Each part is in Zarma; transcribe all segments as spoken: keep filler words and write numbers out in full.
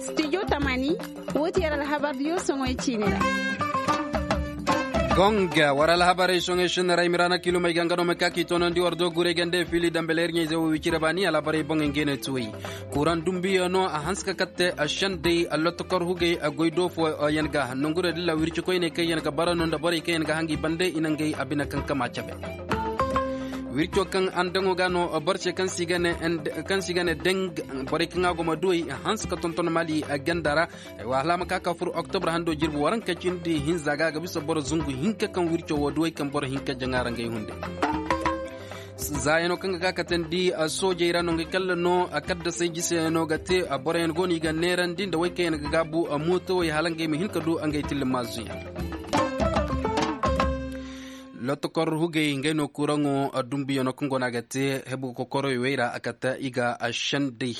Studio tamani, wo ti yar alhabar diyo soŋoy ciine ra. Gonga war alhabarey soŋey sinda ra i ma ra na kiilumey ga nga no ma ka k'i toonandi war do guray gande fili dambe leer ɲayze wo wicire baani alhabarey boŋey ngey ne tuwey. Kuraŋ dumbiyo no a hanse ka katte a sendey a lotokor hugey a goy do fo yaŋ ga nangu da dilla wirci koyney kaŋ yaŋ ga bara no nda borey kaŋ yaŋ ga hangi bande i na ngey a bine kaŋ kama cabe. Wirco kaŋ andaŋo ga no boro se kaŋ si ga ne deng borey kaŋ a go ma duwey hanse ka tonton mali ganda ra. Ay wa hala ma ka ka furo oktobre hando jirbi waranka cindi hinza ga a ga bisa boro zungu hinka kaŋ wirco wo duwey kaŋ boro hinka jaŋa ra ngey hunde. Zaayano kaŋ ga ka katandi soojey ra no ngey kalla no a kaddasay jisayano ga te boroyaŋ go no i ga neerandi nda way kaŋ yaŋ ga gaabu mootowey hala ngey ma hin ka du ngey tilli maazuyaŋ. Lotokor hugey ngey no kuraŋo dumbuyaŋo kaŋ go no a ga te hebu kokoroy wey ra a kate i ga sendey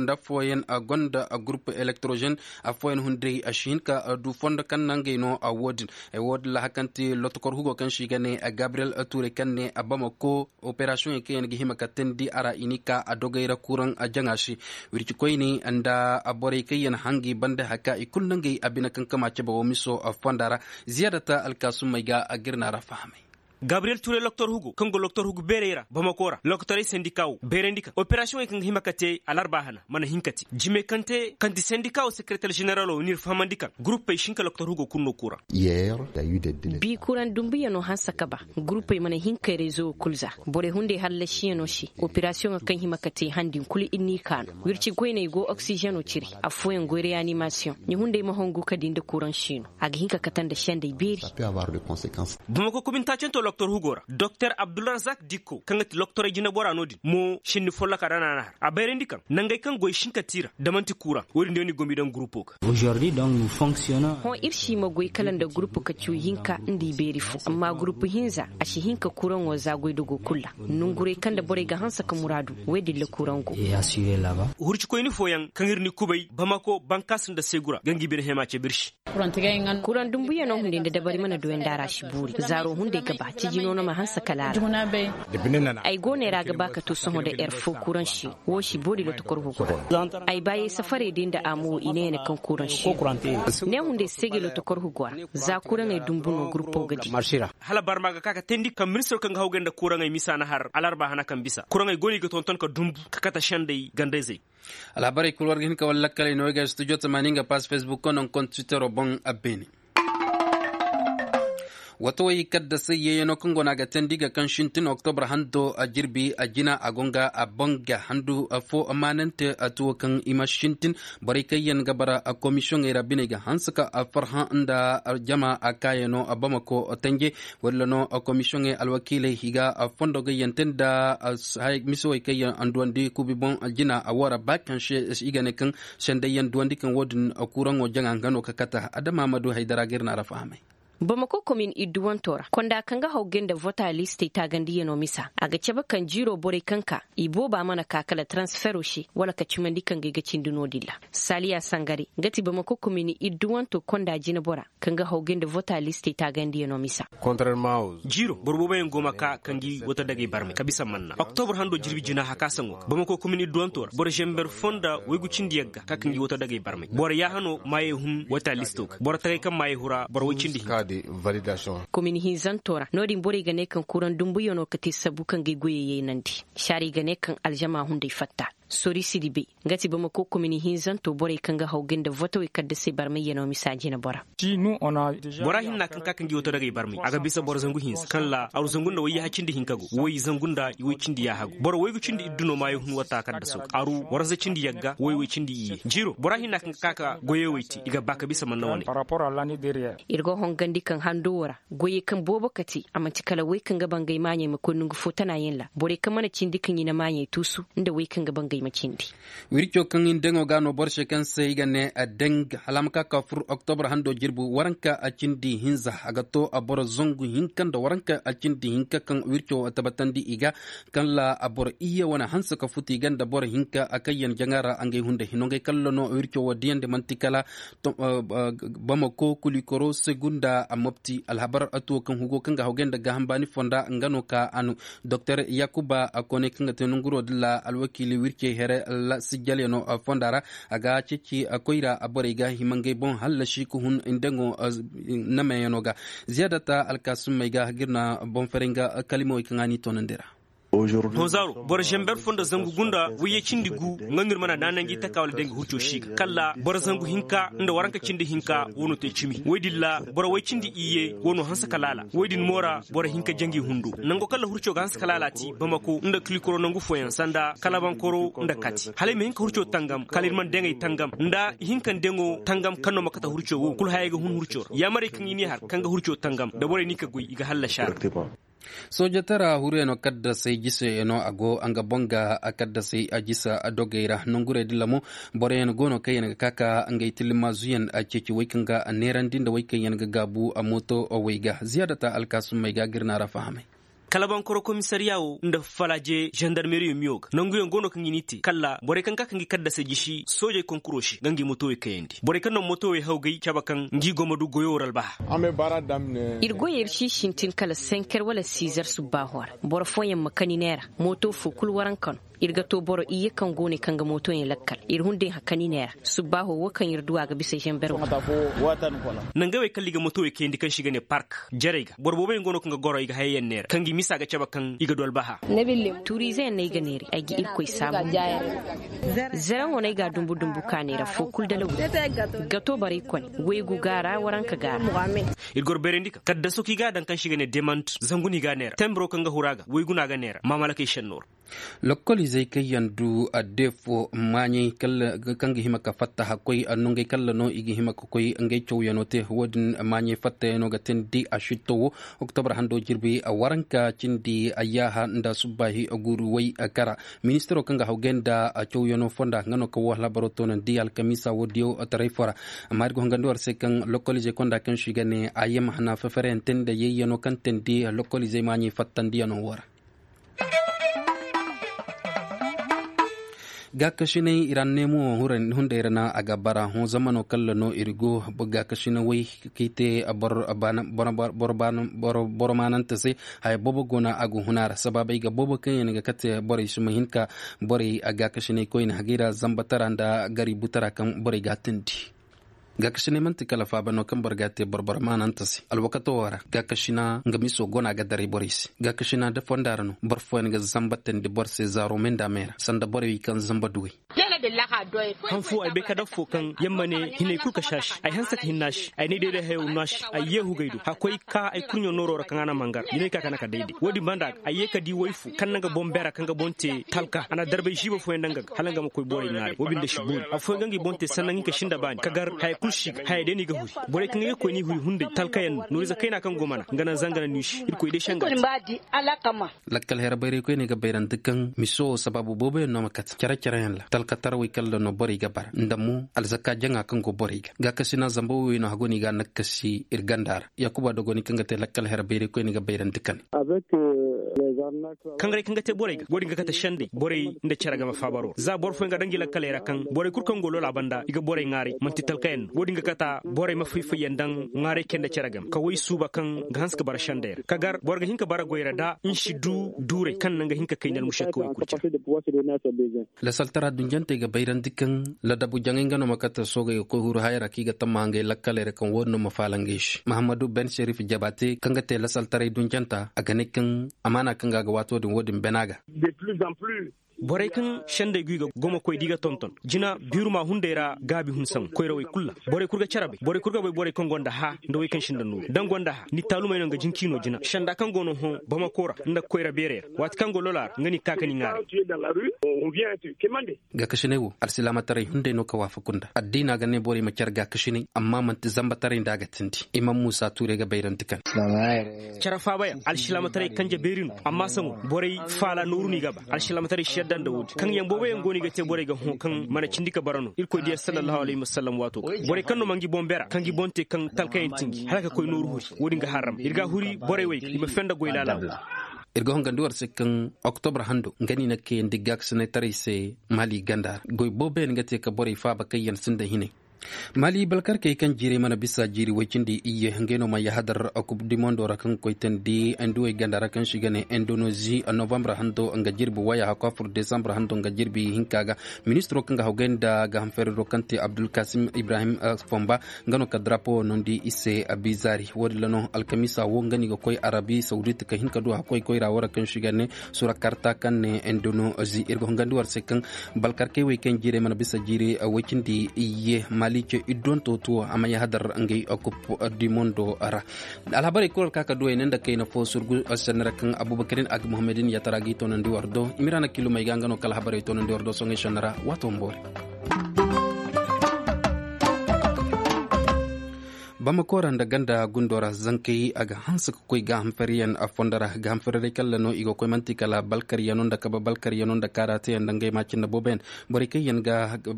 nda afooyaŋ gonda gurupu elektrozen. Afooyaŋ hunday a si hin ka du fondo kaŋ naŋ ngey no wo- din. Wo- din ra hakanti lotokor hugo kaŋ si ga ne gabriyel ture kaŋ ne bamako operasiyoŋey kaŋ yaŋ ga hima ka teendi a ra i n'i ka a dogey ra kuraŋ jaŋa se. Wirci koyne nda borey kaŋ yaŋ hangi banda haka i kulu nangey a bine kaŋ kama cabe wo miso fonda ra. Ziyaadata alkaasummey ga a ga iri no a ra fahamay. Gabriyel ture loktor hugo kaŋ go loktor hugo beerey ra bamako ra lokotorey sendika wo beerandi kaŋ operasiyoŋey kaŋ ga hima ka te alarba hana mana hin ka te jime kaŋ te kaŋ ti sendika wo sekereter zeneralo n'iri fahamandi kaŋ guruppey sinka loktor hugo kulu no kuraŋ. Bi kuraŋ dumbuyaŋo hanse ka ba guruppey mana hin ka reezo wo kulu za. Borey hunday hallasiyaŋo se operasiyoŋo kaŋ hima ka te han din kulu iri n'i kaanu wirci goyney go oksizeno cire. Afooyaŋ goy reyanimasiyoŋ ɲa hunday ma hongu ka di nda kuraŋ siino a ga hin ka kate nda sendey beeri. Bamako komin taacanto loktor hugo ra doktor abdulrazak dikko kaŋ ga ti loktorey jinabora no- din mo sinni folloka ra no a na har a bayrandi kaŋ nangey kaŋ goy sinka tiira da manti kuraŋ wo- din day no i go m'i daŋ gurupo ga. Hõ iri si ma goy kala nda gurupu ka cu hinka nda i beeri fo amma gurupu hinza a si hin ka kuraŋo za goydogo kulu ra. Nonguray kaŋ nda borey ga hanse ka muraadu wo- din ra kuraŋ go. Hurcikoyni fooyaŋ kaŋ iri ni kubay bamako bankaasi nda seegu ra ga nga i bine hema cabe iri se. Kuraŋ dumbuyaŋo hunday nda dabari mana doyandi a ra si boori zaaro hunday ga ba ciji no no ma hanse kala a ra. Ay go no ay ra ga ba ka to sohõ nda erfo kuraŋ se. Wo si boori lotokor hugo ra. Ay baayey safarey day nda a mo i ne ya ne kaŋ kuraŋ se. Ne hunday seegay lotokor hugo ra. Za kuraŋey dumbu no gurupo ga di. Hala barma ga ka ka teendi kaŋ ministiro kaŋ ga hawgay nda kuraŋey misa na har alarba hana kaŋ bisa kuraŋey go no i ga tonton ka dumbu ka kate sendey gandayzey. Alhabarey kulu war ga hin ka wala lakkaley no ay ga studio tamaani nga pass facebook ko nangu konda twittero boŋ a beene. Wato way kaddasay yeeyano kaŋ go no a ga teendi ga kaŋ sintin oktobre hando a jirbi a jina a go nga a boŋ ga handu fo maanante a tuwo kaŋ i ma sintin. Borey kaŋ yaŋ ga bara komisiyoŋey ra biney ga hanse ka farhã nda jama a kaayano bamako tanje. Walla no komisiyoŋey alwakiiley i ga fondo gayyaŋ te nda misawey kaŋ yaŋ duwandi kuubi boŋ jina a wo ra ba kaŋ se i ga ne kaŋ sendayyaŋ duwandi kaŋ wo- din kuraŋo jaŋa nga no ka kate adama ma du haydara ga iri no a ra fahamay. Bamako komin idduwanto ra konda kaŋ ga hawgay nda vota listey taagandiyano misa a ga cabe kaŋ jiiro borey kaŋ ka i booba mana ka kala transfero se wala ka cimandi kaŋ ga ay ga cindi no- din ra. Saaliya sangare nga ti bamako komin idduwanto konda jinabora kaŋ ga hawgay nda vota listey taagandiyano misa. Jiiro boro boobo yaŋ go ma ka ka ngi wato dagay barmay ka bisa manna oktobur hando jirbi jina haka saŋo ga bamako komin idduwanto ra boro zember fo nda waygu cindi yagga ka ka ngi wato dagay barmay boro yaahano maayey hun wata listo ga boro tagay kaŋ maayey hura boro way cindi hinza. Komin hinzanto ra no- din borey ga ne kaŋ kuraŋ dumbuyaŋo ka te sabu kaŋ ga ay goyey yaynandi. Saari ga ne kaŋ alzama hunday fatta. Sori sidibe nga ti bamako komin hinzanto borey kaŋ ga hawgay nda votowey kaddasey barmayyaŋo misa jinabora. Bora hinna kaŋ ka kaŋ ga i wato dagay barmay a ga bisa boro zangu hinza kaŋ ra aru zangu nda wayyaha cindi hinka go way zangu nda i way cindi yaaha go boro waygu cindi iddu no maayo hun watta kaddaso ga aru waranza cindi yagga way way cindi iyye jiiro bora hinna kaŋ ga ka ka goyey way te i ga ba ka bisa manna wane. Iri go hongandi kaŋ hando wo ra goyey kaŋ boobo ka te a manti kala way kaŋ ga bangay maaɲey ma koy nangu fo tana yaŋ ra borey kaŋ mana cindi kaŋ i na maaɲey tuusu nda way kaŋ ga bangay. i ma cindi. Wirco kaŋ i na daŋo ga no boro se kaŋ se i ga ne a daŋ hala a ma ka ka furo oktobra hando jirbi waranka a cindi hinza a ga to a boro zangu hinka nda waranka a cindi hinka kaŋ wirco wo tabbatandi i ga kaŋ la a boro iyye wane hanse ka futu i ga nda boro hinka a kaŋ yaŋ jaŋa ra ngey hunday hino ngey kala no wirco wo diyandi manti kala bamako kulikoro segunda a mobti alhabar tuwo kaŋ hugo kaŋ ga hawgay nda gaaham baani fonda nga no ka a no. Doktor yakuba a koonay kaŋ ga te nanguro din ra alwakiili wircey here sijjalyaŋo fonda ra a ga ceeci koyra borey ga hima ngey boŋ hallasi ka hun ndaŋo namayano ga. Ziyaadata alkaasumey ga ga iri na boŋ faray nga kalimawey kaŋ a n'i toonandi ra. Honzaaro boro zamber fo nda zangu gunda wayye cindi gu nga no iri mana naananji taka wala day nga hurco si ga kala boro zangu hinka nda waranka cindi hinka wano te cimi wo- din ra boro way cindi iyye wano hanse ka laala wo- din mo ra boro hinka jangi hundo nango kala hurco ga hanse ka laala ti bamako nda kilikoro nangu fooyaŋ sanda kalabankoro nda kati hala ay ma hin ka hurco tangam kala iri mana daŋ ay tangam nda ihinka nda yaŋo tangam kaŋ no ma kate hurco wo kulu hayey ga hun hurco ra yaamarey kaŋ i n'i har kaŋ ga hurco tangam nda borey no i ka goy i ga hallasi a ra. Soojatara huruyaŋo kaddasey jiseyaŋo a go nga boŋ ga kaddasey jisa dogey ra nangurey din ra mo boroyaŋ go no kaŋ yaŋ ga ka ka ngey tillimaazuyaŋ ceeci way kaŋ ga neerandi nda way kaŋ yaŋ ga gaabu mooto wey ga ziyaadata alkaasumey ga ga iri naara fahamay. Kalabankoro komisariya wo nda falaaje zandarmeriyo miyo ga nanguyaŋ go no kaŋ i n'i te kala borey kaŋ ga ka ka ngi kaddasey jisi soojey konkuro se ga ngi mootowey kayandi borey kaŋ no mootowey hawgay cabe kaŋ ngi go ma du goyo war albaha. Iri goyey iri si sintin kala senker wala sizer subbaaho ra boro fooyaŋ ma kani neera mooto fo kulu waranka no. Iri ga to boro iyye kaŋ go no i kaŋ ga mootoyaŋ lakkal iri hunday hakani neera subbaaho wo kaŋ iri du a ga bisa zamber wo. Nangey wey kala i ga mootowey kayandi kaŋ se i ga ne park jarey ga boro booboyaŋ go no kaŋ ga goro i ga hayey yaŋ neera kaŋ ga i misa ga cabe kaŋ i ga du albaha. Tuuriizeyaŋ no ay ga neera ay ga irkoy saabu. Zaraŋo no ay ga a dumbu dumbu ka neera fo kulu dala wuri ga to borey kone waygu ga a ra waranka ga a ra. Iri goro bayrandi kaŋ kaddaso kaŋ i ga a daŋ kaŋ se i ga ne demant zangu no i ga a neera tembiro kaŋ ga huru a ga waygu no a ga neera maamalakey senno ra. Lokkol izey kaŋ yaŋ du addeefo maaɲey kaŋ ga hima ka fatta hakkoy nongey kala no i ga hima ka koy ngey cawyaŋo te wo- din maaɲey fattayaŋo ga teendi a sitto wo. Oktobra hando jirbi waranka cindi ayyaaha nda subbaahi guuru way kara. Ministiro kaŋ ga hawgay nda cawyaŋo fonda nga no kaŋ wo hala boro toonandi alkamiisa wo diyo taray fo ra. Amma iri ga hongandi war se kaŋ lokkol izey konda kaŋ se i ga ne a yam hana fefere yaŋ te nda yayyaŋo kaŋ teendi lokkol izey maaɲey fattandiyaŋo wo ra. Gaakasinay ira neemo hunday ra no a ga bara hõ zamano kala no iri go gaakasinay way kaŋ i te boro maanante se. Haya boobo go no a go huna ra sabaabey ga boobo kaŋ yaŋ ga kate borey si ma hin ka borey gaakasinay koyne hagay ra zambatara nda gari butara kaŋ borey ga a teendi. Gaakasina manti kala faaba no kaŋ boro ga a te boro-boro maananta se alwakato wo ra. Gaakasina nga miso go no a ga daray borey se. Gaakasina da fonda ra no boro fooyaŋ ga zamba teendi boro se zaaro me nda me ra sanda borey kaŋ zamba duwey. Han fo ay bay ka daŋ fo kaŋ yamma ne hinay kulu ka saasi ay hanse ka hinna se ay ne day day hayo no a se ay yeehu gay do hakkoy ka ay kurɲo nooro ra kaŋ a na mangar jinay ka kana ka day day wo- din banda ga ay ye ka di way fo kaŋ na nga boŋ beera kaŋ ga boŋ te talka a na darbay ziiba fooyaŋ daŋ ga ga hala nga ma koy borey ŋwaaray wo- binde si boori afooyaŋ ga nga i boŋ te sannaŋ hinka sinda baani ka gar haya kulu si ga haya day no i ga huri borey kaŋ ga koy no i huri hunday talkayaŋ no nooriize kayna kaŋ go mana nga naŋ zanga naŋ no i se irkoy day se a nga. Lakkal hera bayray koyne ga bayrandi kaŋ miso wo sabaabu booboyaŋ no ma kate care-careyaŋ ra talkatarawey kala no borey ga bara nda mo alzakka jaŋa kaŋ go borey ga gaakasina zamba woy no hago no i ga a nakkasi iri ganda ra. Yaakuba dogoni kaŋ ga te lakkal hera bayray koyne ga bayrandi kane. Kaŋ ga te borey ga wo- din ga kate sendey borey nda care game faabaro ra za boro fooyaŋ ga daŋ ngi lakkaley ra kaŋ borey kulu kaŋ go loola banda i ga borey ŋwaaray manti talkayaŋ no wo- din ga kate borey ma fay-fayyaŋ daŋ ŋwaaray care nda care game ka way suuba kaŋ ga hanse ga bara sendey ra ka gar boro ga hin ka bara goy ra da nsi du duurey kaŋ naŋ ga hin ka kay nda almušakka way kulu care. Lasaltara dunjantey ga bayrandi kaŋ ladabu jaŋay nga no ma kate soogey ga koy huru haya ra kaŋ i ga tamma ngey lakkaley ra kaŋ wo- din no ma faala ngey se mahammadu ben serif jabaate kaŋ ga te lasaltaray dunjanta a ga ne kaŋ amaana kaŋ ga a ga waato din wo- din bana ga. Borey kaŋ sendey go i ga go ma koy da i ga tonton jina biiruma hunday ra gaabi hun saŋ koyrawey kulu ra borey kulu ga care bay borey kulu ga bay borey kaŋ gonda hã nda wey kaŋ sinda nooru da ni gonda hã ni taalumey no nga jinkiino jina senda kaŋ go no hõ bamako ra nda koyra beerey ra waati kaŋ go loola ra nga no i ga ka ka ni ŋwaaray. Gaakasinay wo alsilaamataray hunday no ka waafaku nda addiina ga ne borey ma care gaakasinay amma manti zambataray nda a ga tindi imam muusa tuuray ga bayrandi kane. Care faabayaŋ alsilaamataray kanje beeri no amma saŋo borey faala nooru no i ga ba alsilaamataray si. Kaŋ yaŋ boobo yaŋ go no i ga te borey ga hõ kaŋ mana cindi ka bara no irkoy diya sallallahu alayhi wasallam waato ga borey kaŋ no ma ngi boŋ bera kaŋ gi boŋ te kaŋ talkayaŋ tinji hala ka koy nooru huri. Wo- din ga harram iri ga a huri borey wey i ma fenda goy laala. Wo- iri ga hongandi war se kaŋ oktobra hando nga no i na kayandi gaakasinay taray se maali ganda ra goy boobo yaŋ ga te ka borey faaba kaŋ yaŋ sinda hinay. Maali balkarkey kaŋ jiirey mana bisa jiiri way cindi iyye ngey no ma yahadar kub di mondo ra kaŋ koy tandi nduwey ganda ra kaŋ si ga ne indonozi novambra hando nga jirbi waya hakwa fur desambra hando nga jirbi hinka ga. Ministiro kaŋ ga hawgay nda gaaham feeriro kaŋ te abdulkasim ibrahim fomba nga no ka drapo wo nondi i se. Bizaari wo- din ra no alkamiisa wo nga no i ga koy arabi sawdit ka hin ka du hakkoy koyra wo ra kaŋ si ga ne sura karta kaŋ ne indonozi iri ga hongandi war se kaŋ balkarkey wey kaŋ jiirey mana bisa jiiri way cindi iyye maali ce iddonto tuwo a ma yahadar ngey kup di mondo ra. Alhabarey kulu ra ka ka duwey ne nda kayna fo surgu sennara kaŋ abubakarin ag muhammadin yatara ga i toonandi war do i ma iri hana kilumey ga nga no kala habarey toonandi war do soŋey sennara waato ma boori. Bamako ra nda ganda gundo ra zankey a ga hanse ka koy gaaham fariyaŋ fondo ra gaaham fari day kalla no i ga koy manti kala balkaryano nda kabe balkaryano nda kaarate yaŋ nda ngey ma cindi boobo yaŋ. Borey kaŋ yaŋ ga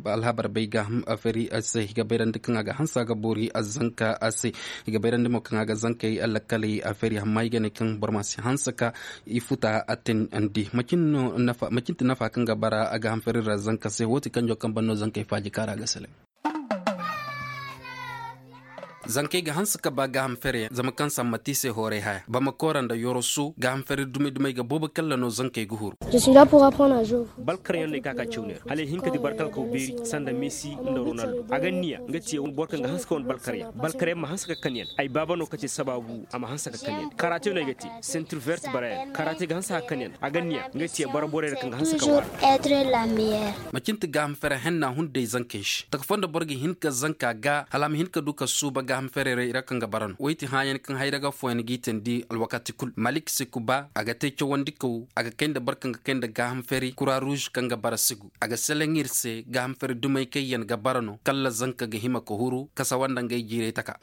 alhabar bay gaaham fari se i ga bayrandi kaŋ a ga hanse a ga boori zanka se. I ga bayrandi mo kaŋ a ga zankey lakkaley fari amma i ga ne kaŋ boro ma si hanse ka i futa a teenandi macin ti nafa kaŋ ga bara gaaham fari ra zanka se wo- ti kanjo kaŋ ban no zankey faaji kaara ga sele. Zankey ga hanse ka ba gaaham fere zama kaŋ samma ti i se hooray haya bamako ra nda yoroso gaaham fere dumi dumey ga boobo kalla no zankey ga huru. Balkaryaŋ no ay ka ka caw neera hala ay hin ka di barkalkaw beeri sanda messi nda ronaldo a ga niya nga ti boro kaŋ ga hanse ka wane balkaryaŋ balkaryaŋ ma hanse ka kan yaŋ ay baaba no ka te sabaabu a ma hanse ka kan yaŋ karate no ay ga te. Sentir vert bara yaŋ karate ga hanse ka kan yaŋ a ga niya nga ti bara borey ra kaŋ ga hanse ka waara. Macin ti gaaham fere henna hunday zankey se taka fo nda boro ga hin ka zanka ga hala a ma hin ka du ka suuba gaaham fere ra kaŋ ga bara no wo ay ti hãayaŋ kaŋ hayra ga fooyaŋ g'i teendi alwakaati kulu malik sikuba a ga te cawandi kaw a ga kay nda boro kaŋ ga kay nda gaaham fere kura ruuz kaŋ ga bara sigu a ga selaŋ iri se gaaham fere dumey kaŋ yaŋ ga bara no kala zanka ga hima ka huru kasa wanda ngey jiirey taka.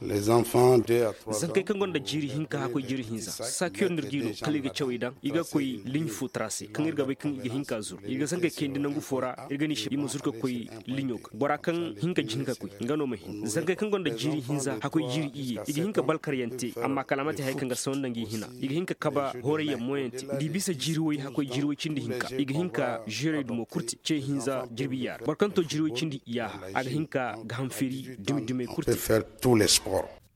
Zankey kaŋ gonda jiiri hinka hakkoy jiiri hinza saakiyo no iri g'i no kala iri ga cawey daŋ i ga koy liɲ fo tara se kaŋ iri ga bay kaŋ i ga hin ka zuru i ga zankey kayndi nangu fo ra. Iri ga ni se i ma zuru ka koy liɲo ga bora kaŋ hin ka jin ka koy nga no ma hin zankey kaŋ gonda jiiri hinza hakkoy jiiri iyye i ga hin ka balkaryaŋ te amma kala a ma te hari kaŋ ga saw nda ngi hina i ga hin ka kaba horayyaŋ moyaŋ te da i bisa jiiri way hakkoy jiiri way cindi hinka i ga hin ka zerey dumo kulu te ce hinza jirbi yaara boro kaŋ to jiiri way cindi iyyaha a ga hin ka gaaham feeri dumi dumey kulu te.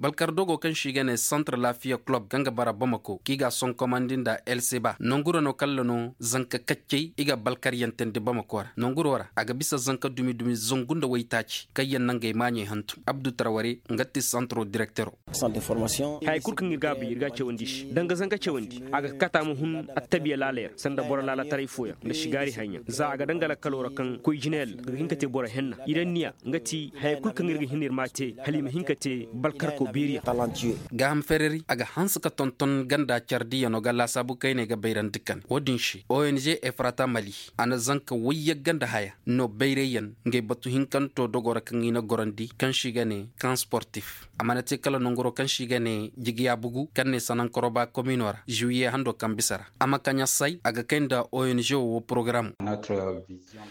Balkar dogo kaŋ se i ga ne santar laafiya kulob kaŋ ga bara bamako kaŋ i ga a sonkomandi nda el seba nangu ra no kala no zanka kaccey i ga balkaryaŋ teendi bamako ra nangu ro ra a ga bisa zanka dumi dumi zangu nda waytaaci kaŋ yaŋ na ngey maaɲey hantum abdu tarware nga ti santaro direktero. Hayey kulu kaŋ iri ga a bay iri ga a cawandi i se danga zanka cawandi a ga kata ma hun attabiya laaley ra sanda boro laalataray fooyaŋ nda sigaari hayaŋ za a ga danga lakkalo ra kaŋ koy jinayaŋ ga hin ka te boro henna iri anniya nga ti hayey kulu kaŋ iri ga hin iri m'a te hala i ma hin ka te balkarko beeri yaŋ. Gaaham fereri a ga hanse ka tonton ganda care diyaŋo ga laasaabu kayney ga bayrandi kande wo- din se ong efrata mali a na zanka wayyaŋ ganda haya no bayray yaŋ ngey batu hinkanto dogo ra kaŋ i na gorandi kaŋ se i ga ne kan sportif a mana te kala nanguro kaŋ se i ga ne jigiya bugu kaŋ ne sanankoroba komino ra zuwiye hando kaŋ bisa ra a ma kaŋ a say a ga kay nda ong wo porogaramo.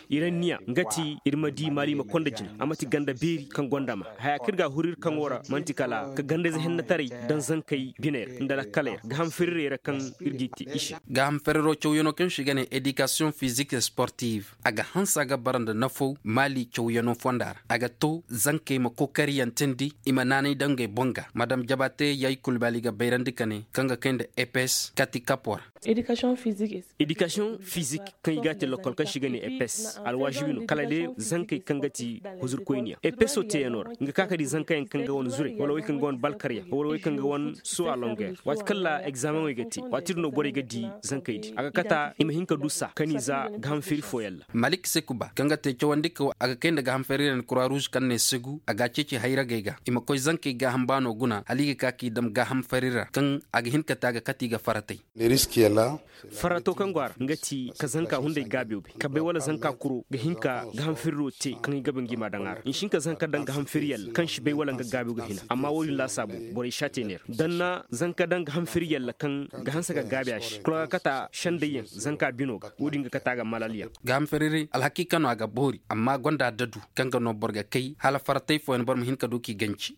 Iri anniya nga ti iri ma di maali ma konda jina a ma ti ganda beeri kaŋ gonda ma haya kaŋ iri ga a huru iri kaŋo ra manti kala ka gandayze hennataray daŋ zankey biney ra nda lakkaley ra gaaham ferirey ra kaŋ iri g'i te i se. Gaaham feriro cawyaŋo kaŋ se i ga ne edikasiyoŋ fizik sportif a ga hanse a ga bara nda nafaw maali cawyaŋo fonda ra a ga to zankey ma kookariyaŋ teendi i ma naanay daŋ ngey boŋ ga madam jabate yaay kulbaali ga bayrandi ka ne kaŋ ga kay nda epes kati kapo ra. Edikasiyoŋ fizik kaŋ i ga a te lokkol kaŋ se i ga ne epes alwaazibi no kala day zankey kaŋ ga ti huzurkoyniyaŋ epeso teeyaŋo ra nga ka ka di zankayaŋ kaŋ ga wane zurey wala wey kaŋ ga wane balkaryaŋ wala wey kaŋ ga wane suwa longeer waati kaŋ ra egzaameŋey ga te waati din no borey ga di zankey din a ga kata i ma hin ka du saa kani za gaaham feeri fooyaŋ ra. Malik sekuba kaŋ ga te cawandi kaw a ga kay nda gaaham feeri ra ni kura ruuz kaŋ ne segu a ga a ceeci hayragey ga i ma koy zanka Kaŋ i gaaham baano guna hala i ga ka k'i daŋ gaaham fari ra kaŋ a ga hin ka te a ga kate i ga faratay. Farato kaŋ go a ra nga ti ka zanka hunday gaabiyo bay ka bay wala zanka kuro ga hin ka gaaham firiro te kaŋ i ga ba ngi ma daŋ a ra i si hin ka zanka daŋ gaaham firi yalla kaŋ si bay wala nga gaabiyo ga hina amma wo- din laasaabu borey si a te neera da ni na zanka daŋ gaaham firi yalla kaŋ ga hanse ga gaabi a se kulu ga kata sendayyaŋ zanka bino ga wo- din ga kata ga malal yaŋ. Gaaham firi alhakiika no a ga boori amma gonda adadu kaŋ ga no boro ga kay hala faratay fooyaŋ boro ma hin ka du k'i ganci.